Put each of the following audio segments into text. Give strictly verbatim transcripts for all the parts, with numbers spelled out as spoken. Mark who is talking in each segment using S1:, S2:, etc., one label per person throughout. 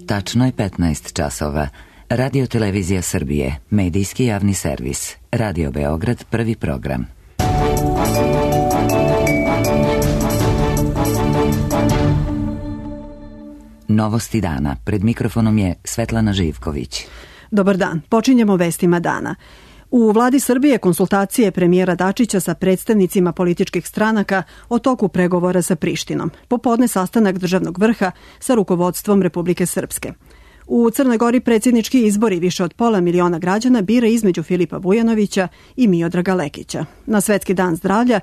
S1: Tačno je petnaest časova. Radio Televizija Srbije, medijski javni servis. Radio Beograd, prvi program. Novosti dana. Pred mikrofonom je Svetlana Živković.
S2: Dobar dan. Počinjemo vestima dana. U vladi Srbije konsultacije premijera Dačića sa predstavnicima političkih stranaka o toku pregovora sa Prištinom. Popodne sastanak državnog vrha sa rukovodstvom Republike Srpske. U Crnoj Gori predsjednički izbori više od pola miliona građana bira između Filipa Vujanovića i Miodraga Lekića. Na Svetski dan zdravlja,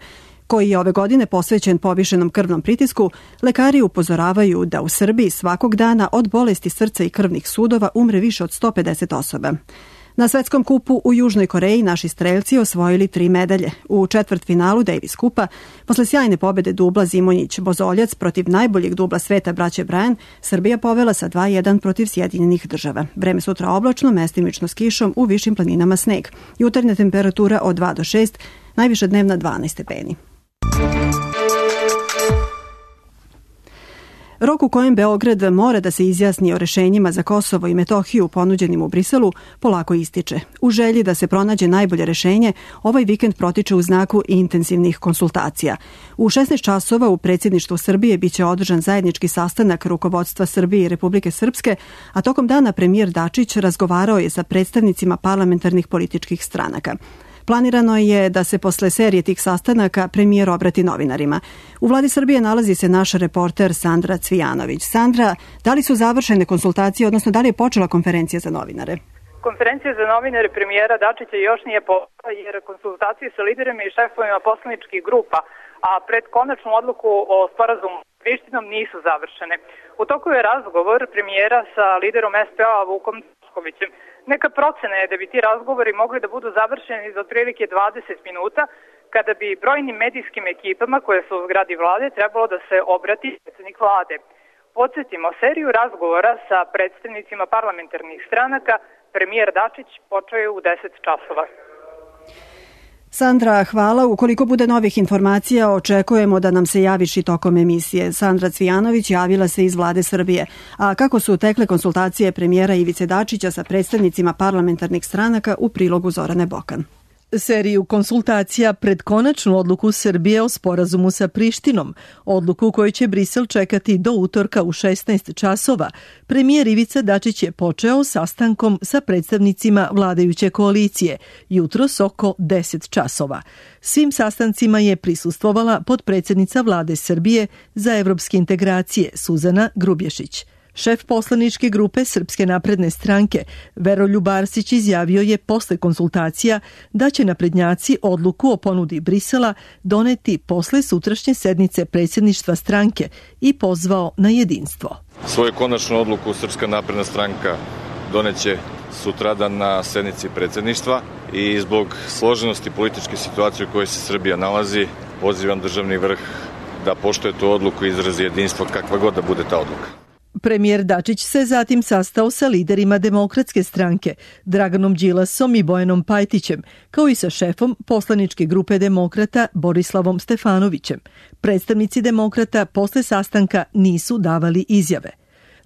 S2: koji je ove godine posvećen povišenom krvnom pritisku, lekari upozoravaju da u Srbiji svakog dana od bolesti srca i krvnih sudova umre više od sto pedeset osoba. Na svetskom kupu u Južnoj Koreji naši strelci osvojili tri medalje. U četvrtfinalu Davis kupa, posle sjajne pobede dubla Zimonjić-Bozoljac protiv najboljeg dubla sveta braće Bryan, Srbija povela sa dva jedan protiv Sjedinjenih država. Vreme sutra oblačno, mestimično s kišom, u višim planinama sneg. Jutarnja temperatura od dva do šest, najviša dnevna dvanaest stepeni. Rok u kojem Beograd mora da se izjasni o rešenjima za Kosovo i Metohiju ponuđenim u Briselu polako ističe. U želji da se pronađe najbolje rešenje, ovaj vikend protiče u znaku intenzivnih konsultacija. U šesnaest časova u predsjedništvu Srbije biće održan zajednički sastanak rukovodstva Srbije i Republike Srpske, a tokom dana premijer Dačić razgovarao je sa predstavnicima parlamentarnih političkih stranaka. Planirano je da se posle serije tih sastanaka premijer obrati novinarima. U vladi Srbije nalazi se naš reporter Sandra Cvijanović. Sandra, da li su završene konsultacije, odnosno da li je počela konferencija za novinare?
S3: Konferencija za novinare premijera Dačića još nije počela jer konsultacije sa liderima i šefovima poslaničkih grupa, a pred konačnu odluku o sporazumu s Prištinom nisu završene. U toku je razgovor premijera sa liderom es pe a Vukom Draškovićem. Neka procena je da bi ti razgovori mogli da budu završeni za otprilike dvadeset minuta, kada bi brojnim medijskim ekipama koje su u zgradi vlade trebalo da se obrati predsjednik vlade. Podsjetimo, seriju razgovora sa predstavnicima parlamentarnih stranaka premijer Dačić počeo je u deset časova.
S2: Sandra, hvala. Ukoliko bude novih informacija, očekujemo da nam se javiš i tokom emisije. Sandra Cvijanović javila se iz vlade Srbije. A kako su tekle konsultacije premijera Ivice Dačića sa predstavnicima parlamentarnih stranaka, u prilogu Zorane Bokan.
S4: Seriju konsultacija pred konačnu odluku Srbije o sporazumu sa Prištinom, odluku koju će Brisel čekati do utorka u šesnaest časova, premijer Ivica Dačić je počeo sastankom sa predstavnicima vladajuće koalicije, jutros oko deset časova. Svim sastancima je prisustvovala potpredsjednica vlade Srbije za evropske integracije Suzana Grubješić. Šef poslaničke grupe Srpske napredne stranke Veroljub Arsić izjavio je posle konsultacija da će naprednjaci odluku o ponudi Brisela doneti posle sutrašnje sednice predsjedništva stranke i pozvao na jedinstvo.
S5: Svoju konačnu odluku Srpska napredna stranka doneće sutradan na sednici predsjedništva i zbog složenosti političke situacije u kojoj se Srbija nalazi, pozivam državni vrh da poštuje tu odluku i izrazi jedinstvo kakva god da bude ta odluka.
S4: Premijer Dačić se zatim sastao sa liderima Demokratske stranke, Draganom Đilasom i Bojanom Pajtićem, kao i sa šefom poslaničke grupe Demokrata Borislavom Stefanovićem. Predstavnici Demokrata posle sastanka nisu davali izjave.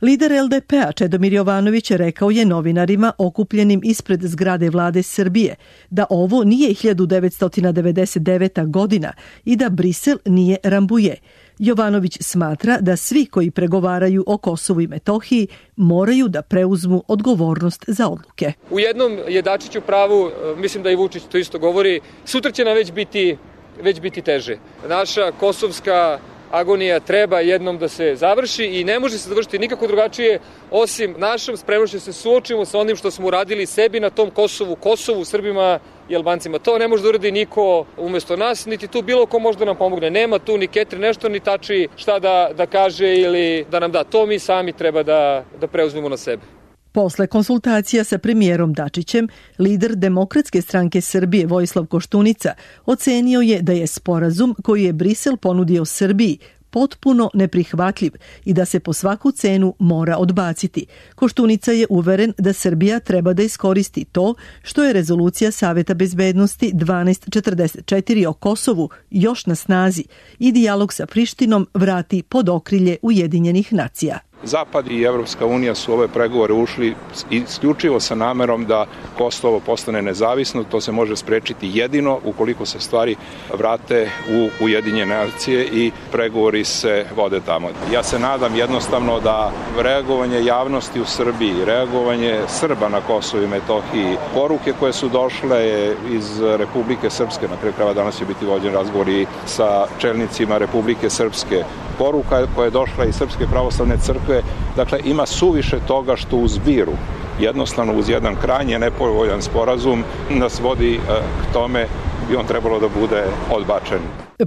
S4: Lider el de pe a Čedomir Jovanović rekao je novinarima okupljenim ispred zgrade vlade Srbije da ovo nije hiljadu devetsto devedeset deveta. godina i da Brisel nije Rambuje. Jovanović smatra da svi koji pregovaraju o Kosovu i Metohiji moraju da preuzmu odgovornost za odluke.
S6: U jednom je Dačić u pravu, mislim da i Vučić to isto govori, sutra će nam već biti, već biti teže. Naša kosovska agonija treba jednom da se završi i ne može se završiti nikako drugačije osim našom spremnošću da se suočimo sa onim što smo uradili sebi na tom Kosovu, Kosovu, Srbima i Albancima. To ne može da uradi niko umjesto nas, niti tu bilo ko može da nam pomogne. Nema tu ni Ketri nešto, ni Tači šta da, da kaže ili da nam da. To mi sami treba da, da preuzmemo na sebe.
S4: Posle konsultacija sa premijerom Dačićem, lider Demokratske stranke Srbije Vojislav Koštunica ocenio je da je sporazum koji je Brisel ponudio Srbiji potpuno neprihvatljiv i da se po svaku cenu mora odbaciti. Koštunica je uveren da Srbija treba da iskoristi to što je rezolucija Saveta bezbednosti dvanaest četrdeset četiri o Kosovu još na snazi i dijalog sa Prištinom vrati pod okrilje Ujedinjenih nacija.
S7: Zapad i Evropska unija su ove pregovore ušli isključivo sa namerom da Kosovo postane nezavisno. To se može sprečiti jedino ukoliko se stvari vrate u Ujedinjene nacije i pregovori se vode tamo. Ja se nadam jednostavno da reagovanje javnosti u Srbiji, reagovanje Srba na Kosovu i Metohiji, poruke koje su došle iz Republike Srpske, na kraju krajeva danas će biti vođen razgovor i sa čelnicima Republike Srpske, poruka koja je došla iz Srpske pravoslavne crkve, dakle ima suviše toga što u zbiru, jednostavno uz jedan krajnje nepovoljan sporazum nas vodi k tome bi on trebalo da bude odbačen.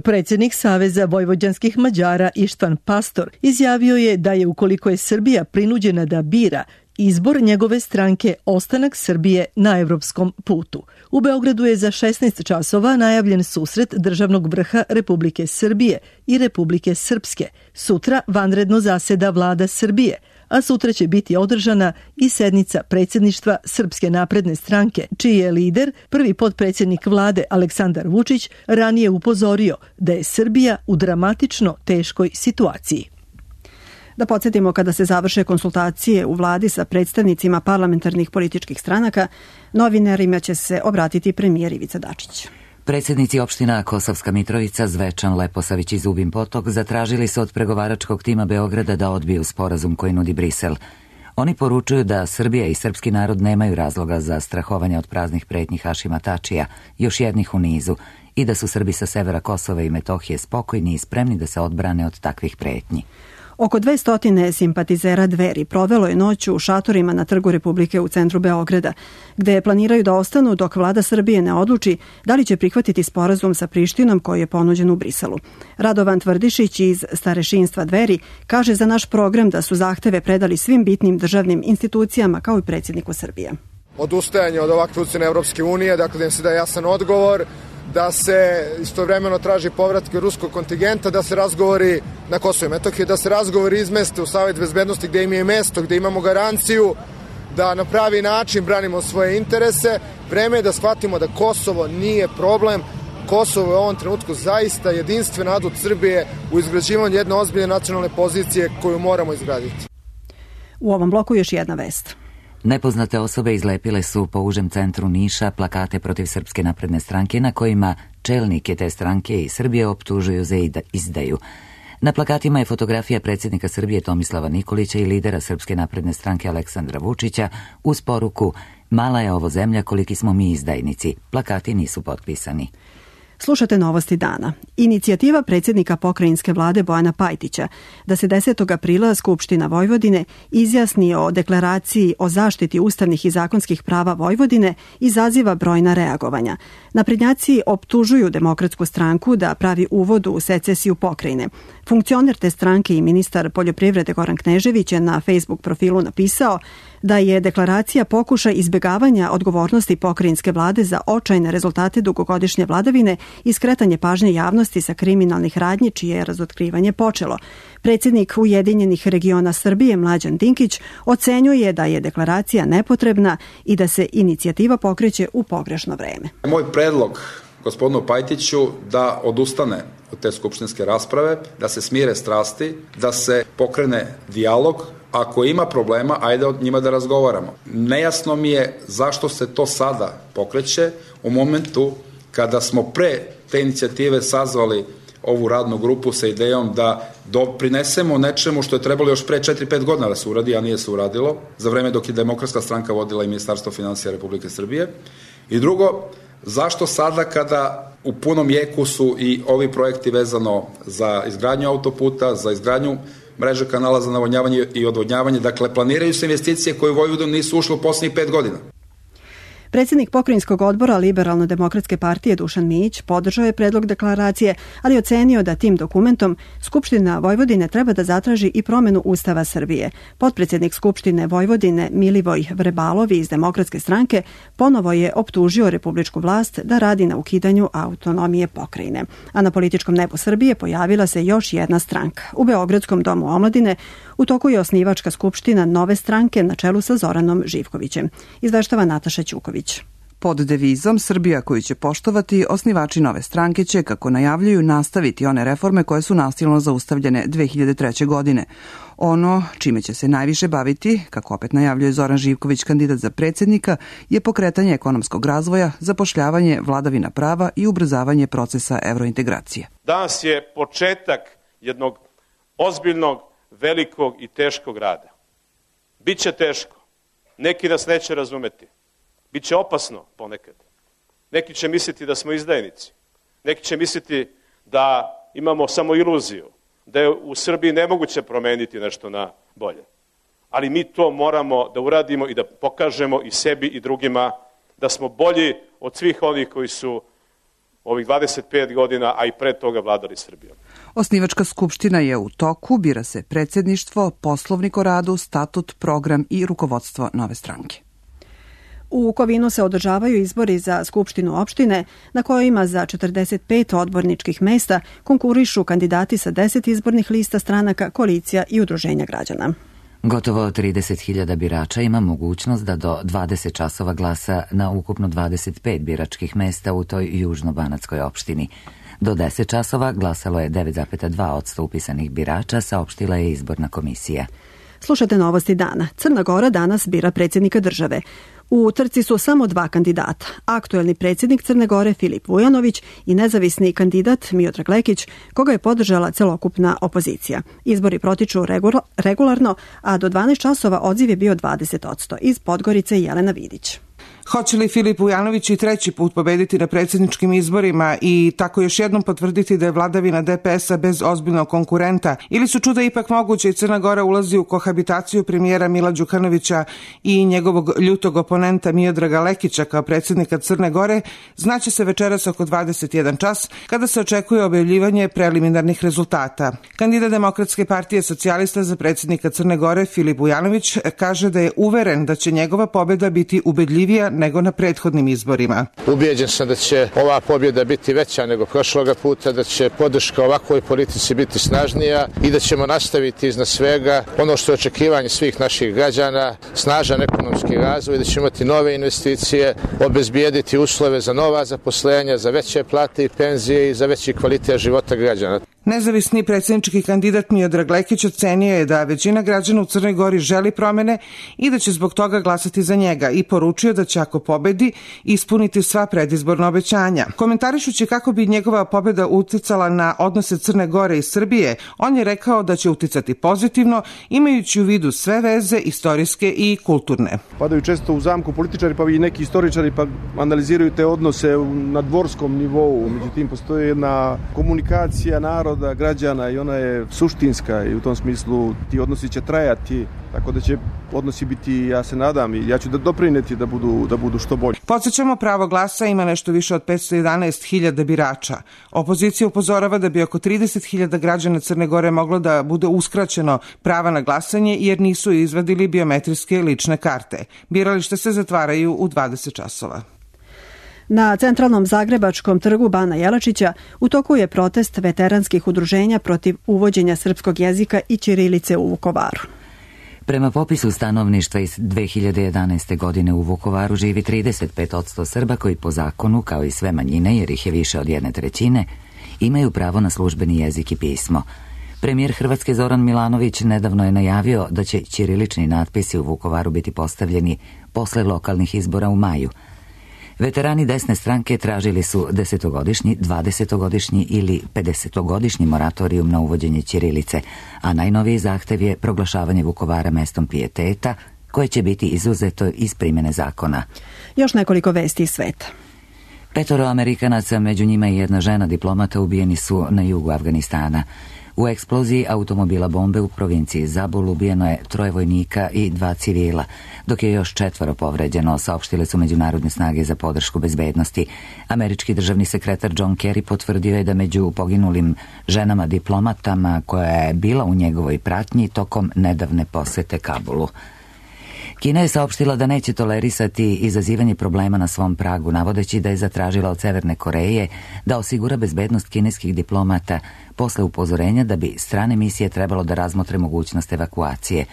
S4: Predsjednik Saveza vojvođanskih Mađara Ištvan Pastor izjavio je da je ukoliko je Srbija prinuđena da bira, izbor njegove stranke ostanak Srbije na evropskom putu. U Beogradu je za šesnaest časova najavljen susret državnog vrha Republike Srbije i Republike Srpske. Sutra vanredno zaseda vlada Srbije, a sutra će biti održana i sednica predsjedništva Srpske napredne stranke, čiji je lider, prvi potpredsjednik vlade Aleksandar Vučić, ranije upozorio da je Srbija u dramatično teškoj situaciji.
S2: Da podsjetimo, kada se završe konsultacije u vladi sa predstavnicima parlamentarnih političkih stranaka, novinarima će se obratiti premijer Ivica Dačić.
S1: Predsjednici opština Kosovska Mitrovica, Zvečan, Leposavić i Zubin Potok zatražili su od pregovaračkog tima Beograda da odbiju sporazum koji nudi Brisel. Oni poručuju da Srbija i srpski narod nemaju razloga za strahovanje od praznih pretnji Hašima Tačija, još jednih u nizu, i da su Srbi sa severa Kosova i Metohije spokojni i spremni da se odbrane od takvih pretnji.
S2: Oko dvesta simpatizera Dveri provelo je noć u šatorima na Trgu Republike u centru Beograda, gde planiraju da ostanu dok vlada Srbije ne odluči da li će prihvatiti sporazum sa Prištinom koji je ponuđen u Briselu. Radovan Tvrdišić iz starešinstva Dveri kaže za naš program da su zahteve predali svim bitnim državnim institucijama kao i predsjedniku Srbije.
S8: Odustajanje od ovakve ucjene Evropske unije, dakle da im se da jasan odgovor, da se istovremeno traži povratke ruskog kontingenta, da se razgovori na Kosovo i Metohiji, da se razgovori izmeste u Savet bezbednosti gde im je mesto, gde imamo garanciju da na pravi način branimo svoje interese. Vreme je da shvatimo da Kosovo nije problem. Kosovo je u ovom trenutku zaista jedinstven adut Srbije u izgrađivanju jedne ozbiljne nacionalne pozicije koju moramo izgraditi.
S2: U ovom bloku još jedna vest.
S1: Nepoznate osobe izlepile su po užem centru Niša plakate protiv Srpske napredne stranke na kojima čelnike te stranke i Srbije optužuju za izdaju. Na plakatima je fotografija predsjednika Srbije Tomislava Nikolića i lidera Srpske napredne stranke Aleksandra Vučića uz poruku "Mala je ovo zemlja, koliki smo mi izdajnici". Plakati nisu potpisani.
S2: Slušate novosti dana. Inicijativa predsjednika pokrajinske vlade Bojana Pajtića da se desetog aprila Skupština Vojvodine izjasni o deklaraciji o zaštiti ustavnih i zakonskih prava Vojvodine izaziva brojna reagovanja. Naprednjaci optužuju Demokratsku stranku da pravi uvod u secesiju pokrajine. Funkcioner te stranke i ministar poljoprivrede Goran Knežević je na Facebook profilu napisao da je deklaracija pokušaj izbjegavanja odgovornosti pokrajinske vlade za očajne rezultate dugogodišnje vladavine i skretanje pažnje javnosti sa kriminalnih radnji čije je razotkrivanje počelo. Predsjednik Ujedinjenih regiona Srbije Mlađan Dinkić ocenjuje da je deklaracija nepotrebna i da se inicijativa pokreće u pogrešno vreme.
S9: Moj predlog gospodinu Pajtiću da odustane od te skupštinske rasprave, da se smire strasti, da se pokrene dijalog. Ako ima problema, ajde o njima da razgovaramo. Nejasno mi je zašto se to sada pokreće u momentu kada smo pre te inicijative sazvali ovu radnu grupu sa idejom da doprinesemo nečemu što je trebalo još pre četiri pet godina da se uradi, a nije se uradilo, za vreme dok je Demokratska stranka vodila i Ministarstvo finansija Republike Srbije. I drugo, zašto sada kada u punom jeku su i ovi projekti vezano za izgradnju autoputa, za izgradnju mreže kanala za navodnjavanje i odvodnjavanje, dakle planiraju se investicije koje u Vojvodinu nisu ušle u posljednjih pet godina.
S2: Predsjednik pokrajinskog odbora Liberalno-demokratske partije Dušan Mijić podržao je predlog deklaracije, ali ocenio da tim dokumentom Skupština Vojvodine treba da zatraži i promenu Ustava Srbije. Potpredsjednik Skupštine Vojvodine Milivoj Vrebalovi iz Demokratske stranke ponovo je optužio republičku vlast da radi na ukidanju autonomije pokrajine. A na političkom nebu Srbije pojavila se još jedna stranka. U Beogradskom domu omladine u toku je osnivačka skupština nove stranke na čelu sa Zoranom Živkovićem. Izveštava Nataša Ćuković.
S10: Pod devizom Srbija koju će poštovati, osnivači nove stranke će, kako najavljuju, nastaviti one reforme koje su nasilno zaustavljene dve hiljade treće. godine. Ono čime će se najviše baviti, kako opet najavljuje Zoran Živković, kandidat za predsjednika, je pokretanje ekonomskog razvoja, zapošljavanje, vladavina prava i ubrzavanje procesa evrointegracije.
S11: Danas je početak jednog ozbiljnog, velikog i teškog rada. Biće teško. Neki nas neće razumeti. Biće opasno ponekad. Neki će misliti da smo izdajnici. Neki će misliti da imamo samo iluziju, da je u Srbiji nemoguće promeniti nešto na bolje. Ali mi to moramo da uradimo i da pokažemo i sebi i drugima da smo bolji od svih onih koji su ovih dvadeset pet godina, a i pre toga vladali Srbijom.
S10: Osnivačka skupština je u toku, bira se predsjedništvo, poslovnik o radu, statut, program i rukovodstvo nove stranke.
S2: U Kovinu se održavaju izbori za Skupštinu opštine na kojima za četrdeset pet odborničkih mesta konkurišu kandidati sa deset izbornih lista stranaka, koalicija i udruženja građana.
S1: Gotovo trideset hiljada birača ima mogućnost da do dvadeset časova glasa na ukupno dvadeset pet biračkih mesta u toj južno-banatskoj opštini. Do deset časova glasalo je devet zarez dva posto upisanih birača, saopštila je izborna komisija.
S2: Slušate novosti dana. Crna Gora danas bira predsjednika države. U trci su samo dva kandidata. Aktuelni predsjednik Crne Gore Filip Vujanović i nezavisni kandidat Miodrag Lekić, koga je podržala celokupna opozicija. Izbori protiču regularno, a do dvanaest časova odziv je bio dvadeset posto. Iz Podgorice Jelena Vidić.
S12: Hoće li Filip Vujanović i treći put pobediti na predsjedničkim izborima i tako još jednom potvrditi da je vladavina de pe es a bez ozbiljnog konkurenta? Ili su čuda ipak moguće i Crna Gora ulazi u kohabitaciju premijera Mila Đukanovića i njegovog ljutog oponenta Miodraga Lekića kao predsjednika Crne Gore? Znaće se večeras oko dvadeset jedan čas kada se očekuje objavljivanje preliminarnih rezultata. Kandidat Demokratske partije socijalista za predsjednika Crne Gore Filip Vujanović kaže da je uveren da će njegova pobjeda biti ubedljivija nego na prethodnim izborima.
S13: Ubijeđen sam da će ova pobjeda biti veća nego prošloga puta, da će podrška ovakvoj politici biti snažnija i da ćemo nastaviti iznad svega ono što je očekivanje svih naših građana, snažan ekonomski razvoj, da ćemo imati nove investicije, obezbijediti uslove za nova zaposlenja, za veće plate i penzije i za veći kvalitet života građana.
S12: Nezavisni predsjednički kandidat Miodrag Lekić ocenio je da većina građana u Crnoj Gori želi promene i da će zbog toga glasati za njega i poručio da će ako pobedi ispuniti sva predizborna obećanja. Komentarišući kako bi njegova pobjeda uticala na odnose Crne Gore i Srbije, on je rekao da će uticati pozitivno imajući u vidu sve veze istorijske i kulturne.
S14: Padaju često u zamku političari pa i neki istoričari pa analiziraju te odnose na dvorskom nivou, međutim postoji jedna komunikacija naroda, građana i ona je suštinska i u tom smislu ti odnosi će trajati, tako da će odnosi biti, ja se nadam i ja ću da doprineti da budu, da budu što bolji.
S12: Podsjećamo, pravo glasa ima nešto više od petsto jedanaest hiljada birača. Opozicija upozorava da bi oko trideset hiljada građana Crne Gore moglo da bude uskraćeno prava na glasanje jer nisu izvadili biometrijske lične karte. Birališta se zatvaraju u dvadeset časova.
S2: Na centralnom zagrebačkom trgu Bana Jelačića u toku je protest veteranskih udruženja protiv uvođenja srpskog jezika i ćirilice u Vukovaru.
S1: Prema popisu stanovništva iz dve hiljade jedanaeste. godine u Vukovaru živi trideset pet posto Srba koji po zakonu, kao i sve manjine, jer ih je više od jedne trećine, imaju pravo na službeni jezik i pismo. Premijer Hrvatske Zoran Milanović nedavno je najavio da će ćirilični natpisi u Vukovaru biti postavljeni posle lokalnih izbora u maju. Veterani desne stranke tražili su desetogodišnji, dvadesetogodišnji ili pedesetogodišnji moratorijum na uvođenje ćirilice, a najnoviji zahtev je proglašavanje Vukovara mestom pijeteta, koje će biti izuzeto iz primjene zakona.
S2: Još nekoliko vesti iz sveta.
S1: Petoro Amerikanaca, među njima i jedna žena diplomata, ubijeni su na jugu Afganistana. U eksploziji automobila bombe u provinciji Zabul ubijeno je troje vojnika i dva civila, dok je još četvoro povređeno, saopštile su međunarodne snage za podršku bezbednosti. Američki državni sekretar John Kerry potvrdio je da među poginulim ženama diplomatama koja je bila u njegovoj pratnji tokom nedavne posete Kabulu. Kina je saopštila da neće tolerisati izazivanje problema na svom pragu, navodeći da je zatražila od Severne Koreje da osigura bezbednost kineskih diplomata posle upozorenja da bi strane misije trebalo da razmotre mogućnost evakuacije.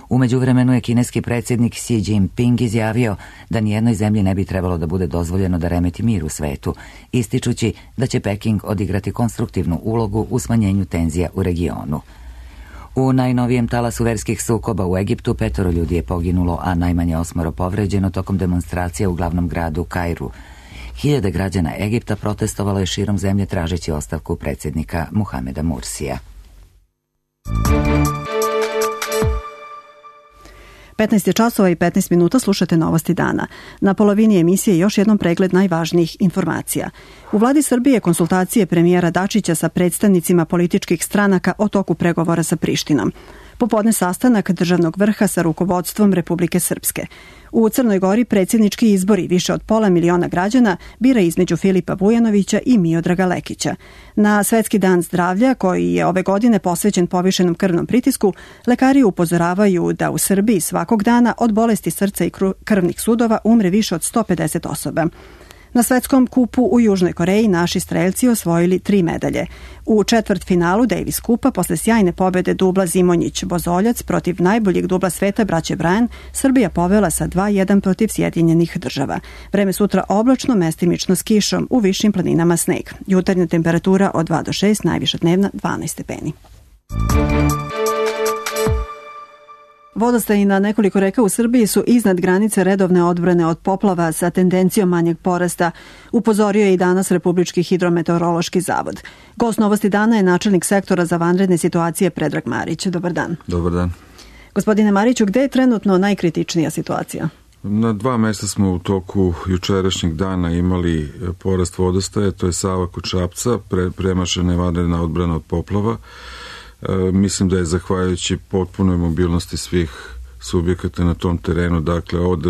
S1: U međuvremenu je kineski predsjednik Xi Jinping izjavio da nijednoj zemlji ne bi trebalo da bude dozvoljeno da remeti mir u svetu, ističući da će Peking odigrati konstruktivnu ulogu u smanjenju tenzija u regionu. U najnovijem talasu verskih sukoba u Egiptu petoro ljudi je poginulo, a najmanje osmoro povređeno tokom demonstracija u glavnom gradu Kairu. Hiljade građana Egipta protestovalo je širom zemlje tražeći ostavku predsjednika Muhameda Mursija.
S2: petnaest je časova i petnaest minuta, slušate Novosti dana. Na polovini emisije još jednom pregled najvažnijih informacija. U vladi Srbije konsultacije premijera Dačića sa predstavnicima političkih stranaka o toku pregovora sa Prištinom. Popodne sastanak državnog vrha sa rukovodstvom Republike Srpske. U Crnoj Gori predsjednički izbori, više od pola miliona građana bira između Filipa Vujanovića i Miodraga Lekića. Na Svetski dan zdravlja, koji je ove godine posvećen povišenom krvnom pritisku, lekari upozoravaju da u Srbiji svakog dana od bolesti srca i krvnih sudova umre više od sto pedeset osoba. Na svetskom kupu u Južnoj Koreji naši strelci osvojili tri medalje. U četvrtfinalu Davis kupa posle sjajne pobjede dubla Zimonjić-Bozoljac protiv najboljeg dubla sveta braće Bryan, Srbija povela sa dva jedan protiv Sjedinjenih država. Vreme sutra oblačno, mestimično s kišom, u višim planinama sneg. Jutarnja temperatura od dva do šest, najviša dnevna dvanaest stepeni. Vodostaji na nekoliko reka u Srbiji su iznad granice redovne odbrane od poplava sa tendencijom manjeg porasta, upozorio je i danas Republički hidrometeorološki zavod. Gost Novosti dana je načelnik sektora za vanredne situacije Predrag Marić. Dobar dan.
S15: Dobar dan.
S2: Gospodine Mariću, gde je trenutno najkritičnija situacija?
S15: Na dva mesta smo u toku jučerašnjeg dana imali porast vodostaja, to je Sava kod Šapca, pre, premašena je vanredna odbrana od poplava. E, mislim da je zahvaljujući potpunoj mobilnosti svih subjekata na tom terenu, dakle od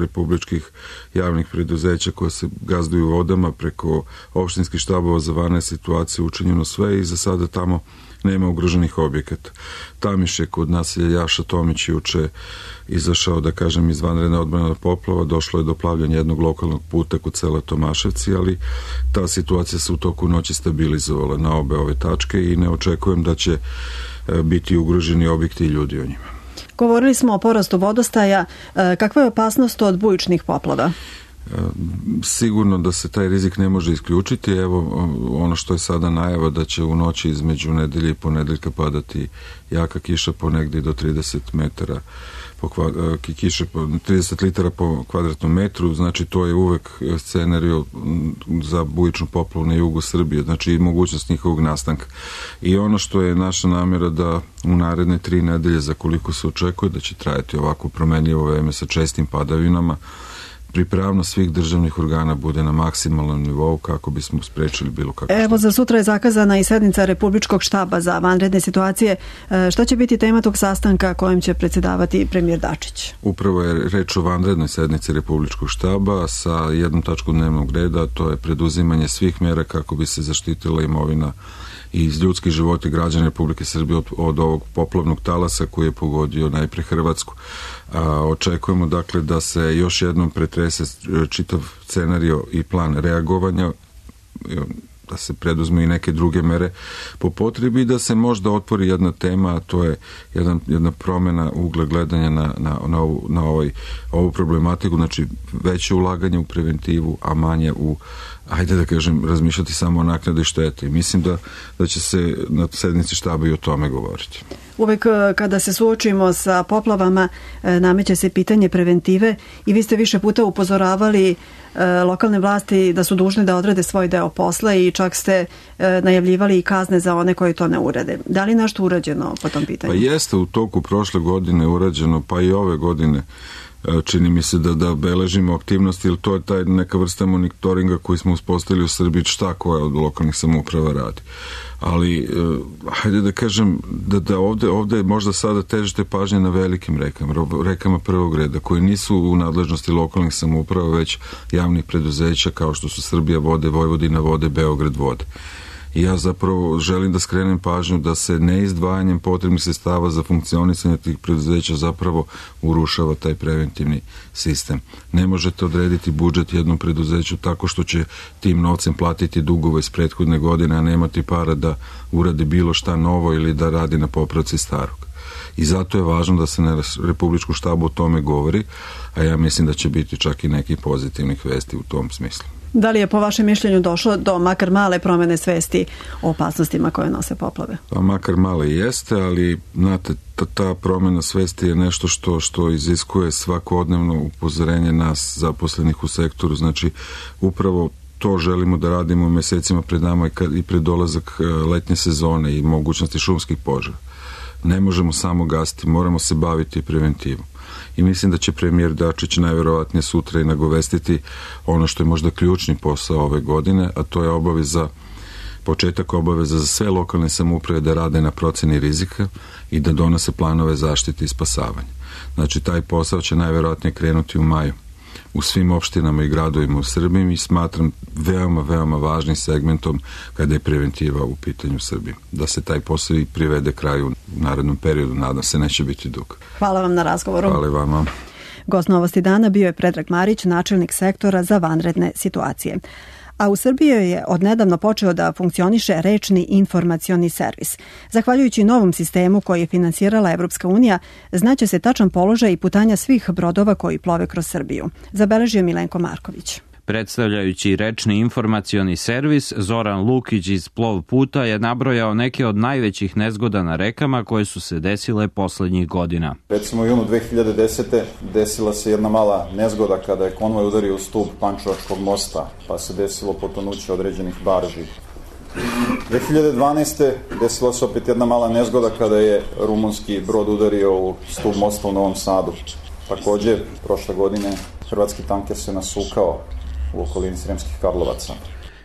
S15: republičkih javnih preduzeća koje se gazduju vodama preko opštinskih štabova za vanredne situacije učinjeno sve i za sada tamo nema ugroženih objekata. Tamiš je kod naselja Jaša Tomić juče izašao, da kažem, iz vanredne odbrane od poplava, došlo je do plavljanja jednog lokalnog puta kod sela Tomaševci, ali ta situacija se u toku noći stabilizovala na obe ove tačke i ne očekujem da će biti ugroženi objekti i ljudi o njima.
S2: Govorili smo o porastu vodostaja. Kakva je opasnost od bujičnih poplava?
S15: Sigurno da se taj rizik ne može isključiti. Evo ono što je sada najava da će u noći između nedelje i ponedeljka padati jaka kiša po negdje do trideset metara po kiše po trideset litara po kvadratnom metru, znači to je uvek scenario za bujičnu poplavu na jugu Srbije, znači i mogućnost njihovog nastanka. I ono što je naša namjera da u naredne tri nedelje, za koliko se očekuje da će trajati ovako promenljivo vreme sa čestim padavinama, pripravnost svih državnih organa bude na maksimalnom nivou kako bismo sprečili bilo kako.
S2: Evo, za sutra je zakazana i sednica Republičkog štaba za vanredne situacije. Šta će biti tema tog sastanka kojim će predsjedavati premijer Dačić?
S15: Upravo je reč o vanrednoj sednici Republičkog štaba sa jednom tačkom dnevnog reda, to je preduzimanje svih mjera kako bi se zaštitila imovina i ljudski životi građana Republike Srbije od, od ovog poplavnog talasa koji je pogodio najpre Hrvatsku. A, očekujemo dakle da se još jednom pretrese čitav scenario i plan reagovanja, da se preduzmu i neke druge mere po potrebi i da se možda otvori jedna tema, a to je jedan, jedna promjena ugla gledanja na, na, na, ovu, na ovaj, ovu problematiku, znači veće ulaganje u preventivu, a manje u, ajde da kažem, razmišljati samo o naknadi štete. Mislim da, da će se na sednici štaba i o tome govoriti.
S2: Uvek kada se suočimo sa poplavama nameće se pitanje preventive i vi ste više puta upozoravali lokalne vlasti da su dužne da odrade svoj deo posla i čak ste najavljivali i kazne za one koji to ne urade. Da li nešto urađeno po tom pitanju?
S15: Pa jeste u toku prošle godine urađeno, pa i ove godine čini mi se da, da beležimo aktivnosti, jer to je taj neka vrsta monitoringa koji smo uspostavili u Srbiji, šta koja od lokalnih samouprava radi. Ali, hajde da kažem, da, da ovde, ovde možda sada težite pažnje na velikim rekama, rekama prvog reda, koji nisu u nadležnosti lokalnih samouprava, već javnih preduzeća kao što su Srbija vode, Vojvodina vode, Beograd vode. I ja zapravo želim da skrenem pažnju da se neizdvajanjem potrebnih sredstava za funkcionisanje tih preduzeća zapravo urušava taj preventivni sistem. Ne možete odrediti budžet jednom preduzeću tako što će tim novcem platiti dugove iz prethodne godine, a nemati para da uradi bilo šta novo ili da radi na popravci starog. I zato je važno da se na Republičkom štabu o tome govori, a ja mislim da će biti čak i nekih pozitivnih vesti u tom smislu.
S2: Da li je po vašem mišljenju došlo do makar male promene svesti o opasnostima koje nose poplave?
S15: Pa makar male jeste, ali znate, ta, ta promena svesti je nešto što, što iziskuje svakodnevno upozorenje nas zaposlenih u sektoru. Znači, upravo to želimo da radimo u mesecima pred nama i pred dolazak letnje sezone i mogućnosti šumskih požara. Ne možemo samo gasiti, moramo se baviti preventivom. I mislim da će premijer Dačić najverovatnije sutra i nagovestiti ono što je možda ključni posao ove godine, a to je obaveza, početak obaveza za sve lokalne samouprave da rade na proceni rizika i da donose planove zaštite i spasavanja. Znači, taj posao će najverovatnije krenuti u maju u svim opštinama i gradovima u Srbiji i smatram veoma, veoma važnim segmentom kada je preventiva u pitanju Srbije. Da se taj posao i privede kraju u narednom periodu, nadam se neće biti dug.
S2: Hvala vam na razgovoru.
S15: Hvala vama.
S2: Gost Novosti dana bio je Predrag Marić, načelnik sektora za vanredne situacije. A u Srbiji je odnedavno počeo da funkcioniše rečni informacioni servis. Zahvaljujući novom sistemu koji je finansirala Evropska unija, znaće se tačan položaj i putanja svih brodova koji plove kroz Srbiju. Zabeležio Milenko Marković.
S16: Predstavljajući rečni informacioni servis, Zoran Lukić iz Plov puta je nabrojao neke od najvećih nezgoda na rekama koje su se desile poslednjih godina.
S17: Recimo u junu dve hiljade desete. desila se jedna mala nezgoda kada je konvoj udario u stub Pančevačkog mosta, pa se desilo potonuće određenih barži. dve hiljade dvanaeste. desila se opet jedna mala nezgoda kada je rumunski brod udario u stub mosta u Novom Sadu. Takođe, prošle godine hrvatski tanker se nasukao u okolini Sremskih Karlovaca.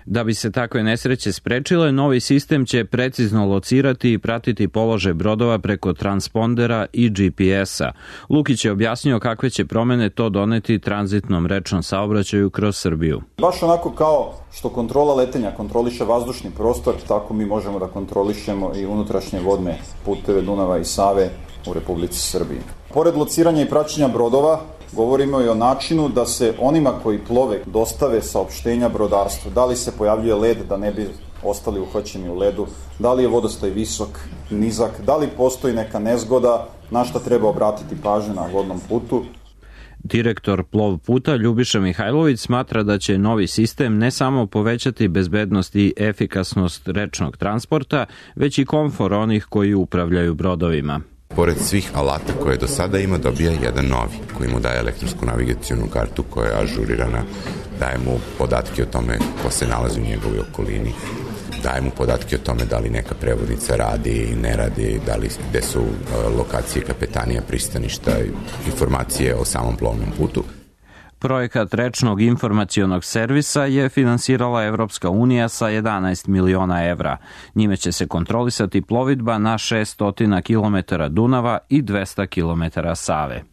S16: Da bi se takve nesreće sprečile, novi sistem će precizno locirati i pratiti položaj brodova preko transpondera i G P S-a. Lukić je objasnio kakve će promene to doneti tranzitnom rečnom saobraćaju kroz Srbiju.
S17: Baš onako kao što kontrola letenja kontroliše vazdušni prostor, tako mi možemo da kontrolišemo i unutrašnje vodne puteve Dunava i Save u Republici Srbiji. Pored lociranja i praćenja brodova, govorimo i o načinu da se onima koji plove dostave saopštenja brodarstvu. Da li se pojavljuje led da ne bi ostali uhvaćeni u ledu, da li je vodostaj visok, nizak, da li postoji neka nezgoda, na šta treba obratiti pažnju na vodnom putu.
S16: Direktor Plov puta Ljubiša Mihajlović smatra da će novi sistem ne samo povećati bezbednost i efikasnost rečnog transporta, već i komfor onih koji upravljaju brodovima.
S18: Pored svih alata koje do sada ima, dobija jedan novi, koji mu daje elektronsku navigacijonu kartu koja je ažurirana, daje mu podatke o tome ko se nalazi u njegovoj okolini, daje mu podatke o tome da li neka prevodnica radi i ne radi, da li, gde su lokacije kapetanija, pristaništa, informacije o samom plovnom putu.
S16: Projekat rečnog informacionog servisa je finansirala Evropska unija sa jedanaest miliona evra. Njime će se kontrolisati plovidba na šessto kilometara Dunava i dvesta kilometara Save.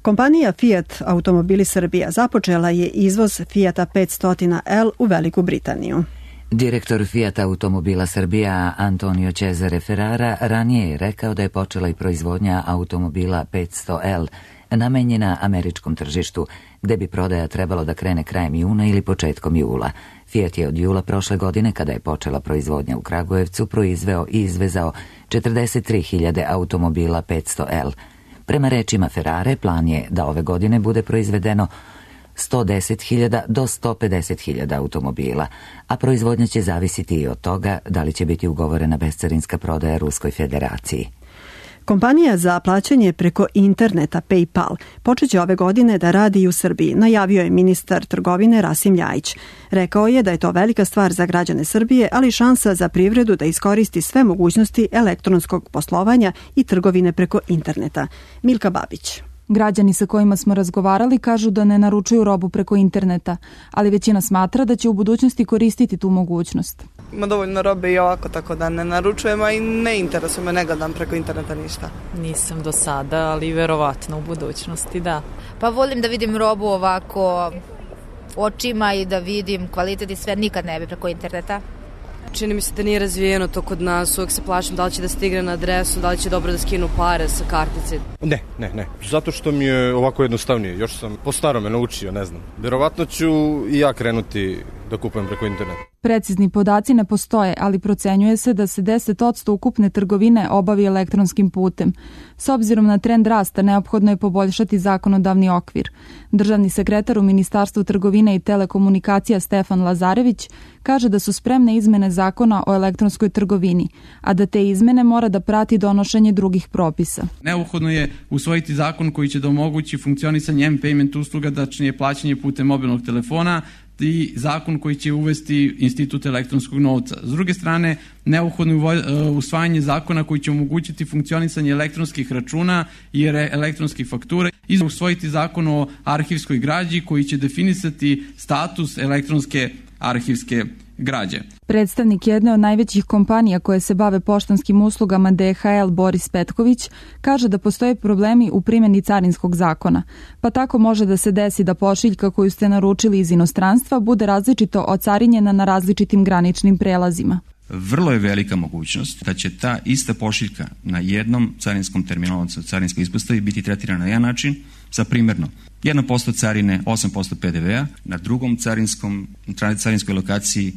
S2: Kompanija Fiat Automobili Srbija započela je izvoz Fiata petsto L u Veliku Britaniju.
S1: Direktor Fiat Automobila Srbija Antonio Cesare Ferrara ranije je rekao da je počela i proizvodnja automobila petsto L namenjena američkom tržištu, gde bi prodaja trebalo da krene krajem juna ili početkom jula. Fiat je od jula prošle godine, kada je počela proizvodnja u Kragujevcu, proizveo i izvezao četrdeset tri hiljade automobila petsto L. Prema rečima Ferrare, plan je da ove godine bude proizvedeno sto deset hiljada do sto pedeset hiljada automobila, a proizvodnja će zavisiti i od toga da li će biti ugovorena bescarinska prodaja Ruskoj federaciji.
S2: Kompanija za plaćanje preko interneta PayPal počeće ove godine da radi i u Srbiji, najavio je ministar trgovine Rasim Ljajić. Rekao je da je to velika stvar za građane Srbije, ali i šansa za privredu da iskoristi sve mogućnosti elektronskog poslovanja i trgovine preko interneta. Milka Babić.
S19: Građani sa kojima smo razgovarali kažu da ne naručuju robu preko interneta, ali većina smatra da će u budućnosti koristiti tu mogućnost.
S20: Ima dovoljno robe i ovako, tako da ne naručujem, a i ne interesuje me, ne gledam preko interneta ništa.
S21: Nisam do sada, ali verovatno u budućnosti, da.
S22: Pa volim da vidim robu ovako očima i da vidim kvalitet i sve, nikad ne bi preko interneta.
S23: Čini mi se da nije razvijeno to kod nas, uvek se plašim da li će da stigne na adresu, da li će dobro da skinu pare sa kartice.
S24: Ne, ne, ne, zato što mi je ovako jednostavnije, još sam po starome naučio, ne znam. Verovatno ću i ja krenuti da kupujem preko interneta.
S19: Precizni podaci ne postoje, ali procenjuje se da se deset posto ukupne trgovine obavi elektronskim putem. S obzirom na trend rasta, neophodno je poboljšati zakonodavni okvir. Državni sekretar u Ministarstvu trgovine i telekomunikacija Stefan Lazarević kaže da su spremne izmene zakona o elektronskoj trgovini, a da te izmene mora da prati donošenje drugih propisa.
S3: Neophodno je usvojiti zakon koji će da omogući funkcionisanje M-payment usluga, tačnije plaćanje putem mobilnog telefona, i zakon koji će uvesti institut elektronskog novca. S druge strane, neophodno je usvajanje zakona koji će omogućiti funkcionisanje elektronskih računa i elektronskih faktura i usvojiti zakon o arhivskoj građi koji će definisati status elektronske arhivske građe.
S19: Predstavnik jedne od najvećih kompanija koje se bave poštanskim uslugama D H L Boris Petković kaže da postoje problemi u primjeni carinskog zakona, pa tako može da se desi da pošiljka koju ste naručili iz inostranstva bude različito ocarinjena na različitim graničnim prelazima.
S5: Vrlo je velika mogućnost da će ta ista pošiljka na jednom carinskom terminalu, odnosno carinskoj ispostavi biti tretirana na jedan način, za primjerno jedan posto carine, osam posto P D V-a, na drugom carinskom, carinskoj lokaciji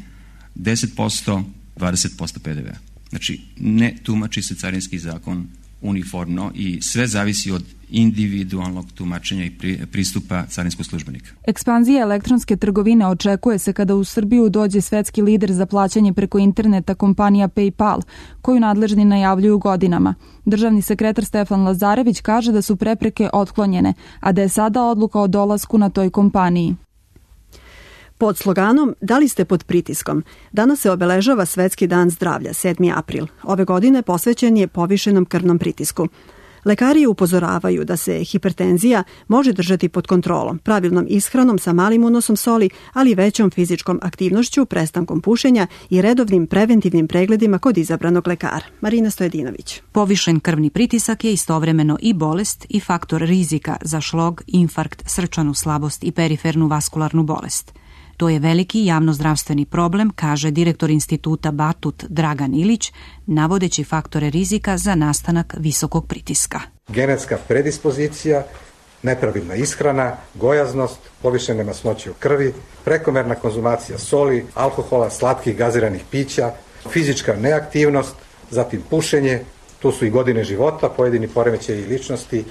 S5: deset posto, dvadeset posto P D V-a. Znači, ne tumači se carinski zakon uniformno i sve zavisi od individualnog tumačenja i pristupa carinskog službenika.
S19: Ekspanzija elektronske trgovine očekuje se kada u Srbiju dođe svetski lider za plaćanje preko interneta kompanija PayPal, koju nadležni najavljuju godinama. Državni sekretar Stefan Lazarević kaže da su prepreke otklonjene, a da je sada odluka o dolasku na toj kompaniji.
S2: Pod sloganom "Da li ste pod pritiskom?" danas se obeležava Svetski dan zdravlja, sedmi april. Ove godine posvećen je povišenom krvnom pritisku. Lekari upozoravaju da se hipertenzija može držati pod kontrolom, pravilnom ishranom sa malim unosom soli, ali većom fizičkom aktivnošću, prestankom pušenja i redovnim preventivnim pregledima kod izabranog lekara. Marina Stojedinović.
S6: Povišen krvni pritisak je istovremeno i bolest i faktor rizika za šlog, infarkt, srčanu slabost i perifernu vaskularnu bolest. To je veliki javnozdravstveni problem, kaže direktor instituta Batut Dragan Ilić, navodeći faktore rizika za nastanak visokog pritiska.
S7: Genetska predispozicija, nepravilna ishrana, gojaznost, povišene masnoće u krvi, prekomerna konzumacija soli, alkohola, slatkih gaziranih pića, fizička neaktivnost, zatim pušenje, tu su i godine života, pojedini poremećaji ličnosti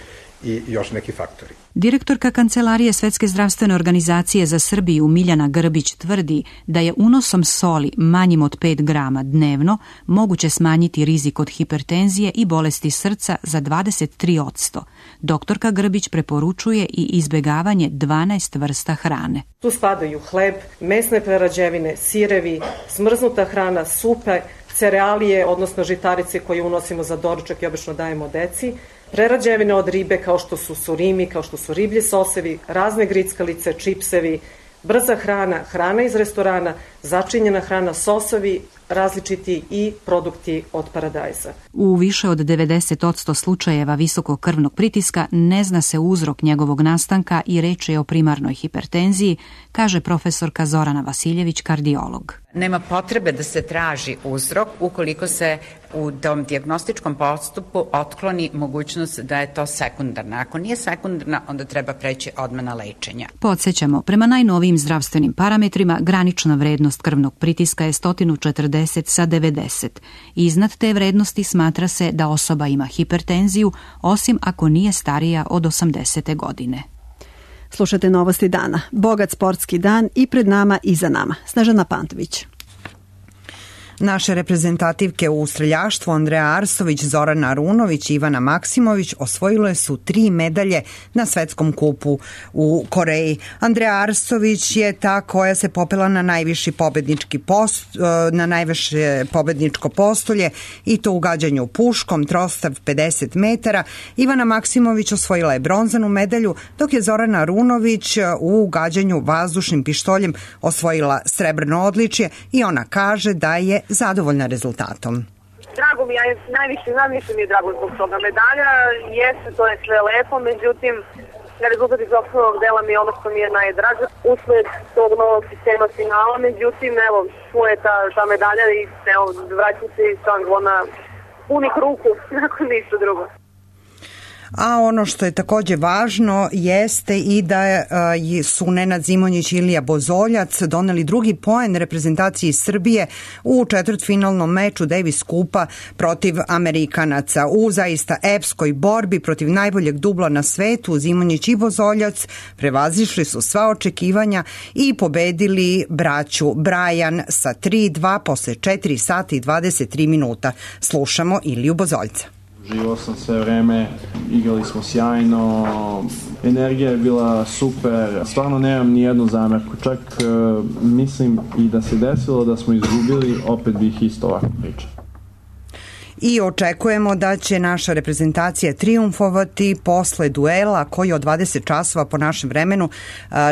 S7: i još neki faktori.
S6: Direktorka Kancelarije Svetske zdravstvene organizacije za Srbiju Miljana Grbić tvrdi da je unosom soli manjim od pet grama dnevno moguće smanjiti rizik od hipertenzije i bolesti srca za dvadeset tri posto. Doktorka Grbić preporučuje i izbegavanje dvanaest vrsta hrane.
S25: Tu spadaju hleb, mesne prerađevine, sirevi, smrznuta hrana, supe, cerealije, odnosno žitarice koje unosimo za doručak i obično dajemo deci, prerađevine od ribe kao što su surimi, kao što su riblji sosevi, razne grickalice, čipsevi, brza hrana, hrana iz restorana, začinjena hrana, sosovi, različiti i produkti od paradajza.
S6: U više od devedeset posto slučajeva visokog krvnog pritiska ne zna se uzrok njegovog nastanka i reč je o primarnoj hipertenziji, kaže profesorka Zorana Vasiljević, kardiolog.
S26: Nema potrebe da se traži uzrok ukoliko se u tom dijagnostičkom postupu otkloni mogućnost da je to sekundarna. Ako nije sekundarna, onda treba preći odmah na lečenje.
S6: Podsjećamo, prema najnovijim zdravstvenim parametrima, granična vrednost krvnog pritiska je sto četrdeset sa devedeset. Iznad te vrednosti smatra se da osoba ima hipertenziju, osim ako nije starija od osamdesete godine.
S2: Slušate Novosti dana. Bogat sportski dan i pred nama i za nama. Snežana Pantović.
S27: Naše reprezentativke u streljaštvu Andreja Arstović, Zorana Arunović i Ivana Maksimović osvojile su tri medalje na svetskom kupu u Koreji. Andreja Arstović je ta koja se popela na najviši pobednički post, na najviše pobedničko postolje i to u gađanju puškom, trostav pedeset metara. Ivana Maksimović osvojila je bronzanu medalju, dok je Zorana Arunović u gađanju vazdušnim pištoljem osvojila srebrno odličje i ona kaže da je zadovoljna rezultatom.
S28: Drago mi je, najviše, najviše mi je drago zbog toga medalja, jeste, to je sve lepo, međutim, rezultat iz osnovnog dela mi je ono što mi je najdraže, usled tog novog sistema finala, međutim, evo, tu je ta, ta medalja i evo, vraćam se i sam na punih ruku, nakon ništa drugo.
S27: a ono što je takođe važno jeste i da su Nenad Zimonjić i Ilija Bozoljac doneli drugi poen reprezentaciji Srbije u četvrtfinalnom meču Davis Kupa protiv Amerikanaca. U zaista epskoj borbi protiv najboljeg dubla na svetu Zimonjić i Bozoljac prevazišli su sva očekivanja i pobedili braću Brajan sa tri dva posle četiri sata i dvadeset tri minuta. Slušamo Iliju Bozoljca.
S4: Živao sam sve vreme, igrali smo sjajno, energija je bila super, stvarno nemam ni jednu zamerku, čak uh, mislim i da se desilo da smo izgubili, opet bih isto ovako pričao.
S27: I očekujemo da će naša reprezentacija triumfovati posle duela koji od dvadeset časova po našem vremenu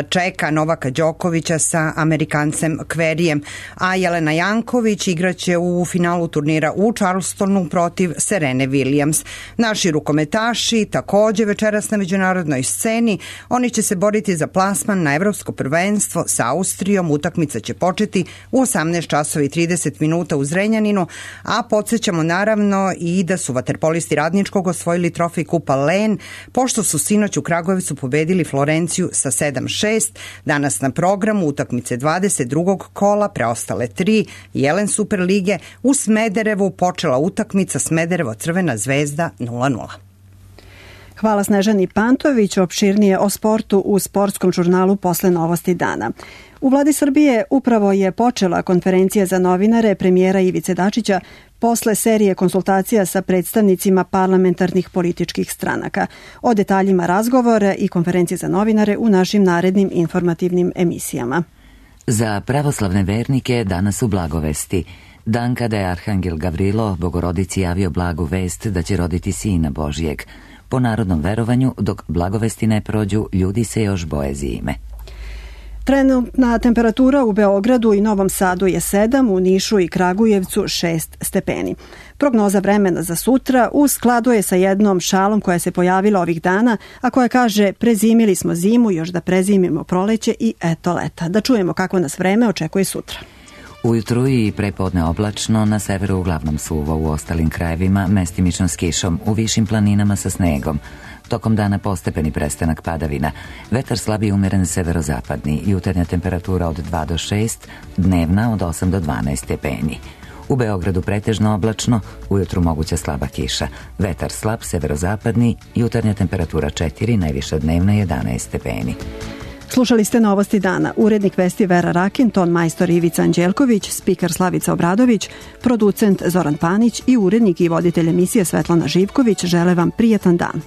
S27: čeka Novaka Đokovića sa Amerikancem Kverijem, a Jelena Janković igraće u finalu turnira u Charlestonu protiv Serene Williams. Naši rukometaši takođe večeras na međunarodnoj sceni, oni će se boriti za plasman na evropsko prvenstvo sa Austrijom. Utakmica će početi u osamnaest časova i trideset minuta u Zrenjaninu, a podsjećamo naravno i da su vaterpolisti Radničkog osvojili trofej Kupa Len, pošto su sinoć u Kragujevcu pobedili Florenciju sa sedam šest. Danas na programu utakmice dvadeset drugog kola, preostale tri Jelen Superlige. U Smederevu počela utakmica Smederevo Crvena zvezda nula nula.
S2: Hvala Snežani Pantović, opširnije o sportu u sportskom žurnalu posle Novosti dana. U vladi Srbije upravo je počela konferencija za novinare premijera Ivice Dačića posle serije konsultacija sa predstavnicima parlamentarnih političkih stranaka. O detaljima razgovora i konferencije za novinare u našim narednim informativnim emisijama.
S1: Za pravoslavne vernike danas su blagovesti. Dan kada je Arhangel Gavrilo Bogorodici javio blagu vest da će roditi sina Božijeg. Po narodnom verovanju, dok blagovesti ne prođu, ljudi se još boje zime.
S2: Trenutna temperatura u Beogradu i Novom Sadu je sedam, u Nišu i Kragujevcu šest stepeni. Prognoza vremena za sutra u skladu je sa jednom šalom koja se pojavila ovih dana, a koja kaže prezimili smo zimu, još da prezimimo proleće i eto leta. Da čujemo kako nas vreme očekuje sutra.
S1: Ujutru i prepodne oblačno, na severu uglavnom suvo, u ostalim krajevima mestimično s kišom, u višim planinama sa snegom. Tokom dana postepeni prestanak padavina. Vetar slab i umeren severozapadni, jutarnja temperatura od dva do šest, dnevna od osam do dvanaest stepeni. U Beogradu pretežno oblačno, ujutru moguća slaba kiša. Vetar slab severozapadni, jutarnja temperatura četiri, najviša dnevna jedanaest stepeni.
S2: Slušali ste Novosti dana. Urednik vesti Vera Rakin, ton majstor Ivica Anđelković, spiker Slavica Obradović, producent Zoran Panić i urednik i voditelj emisije Svetlana Živković žele vam prijetan dan.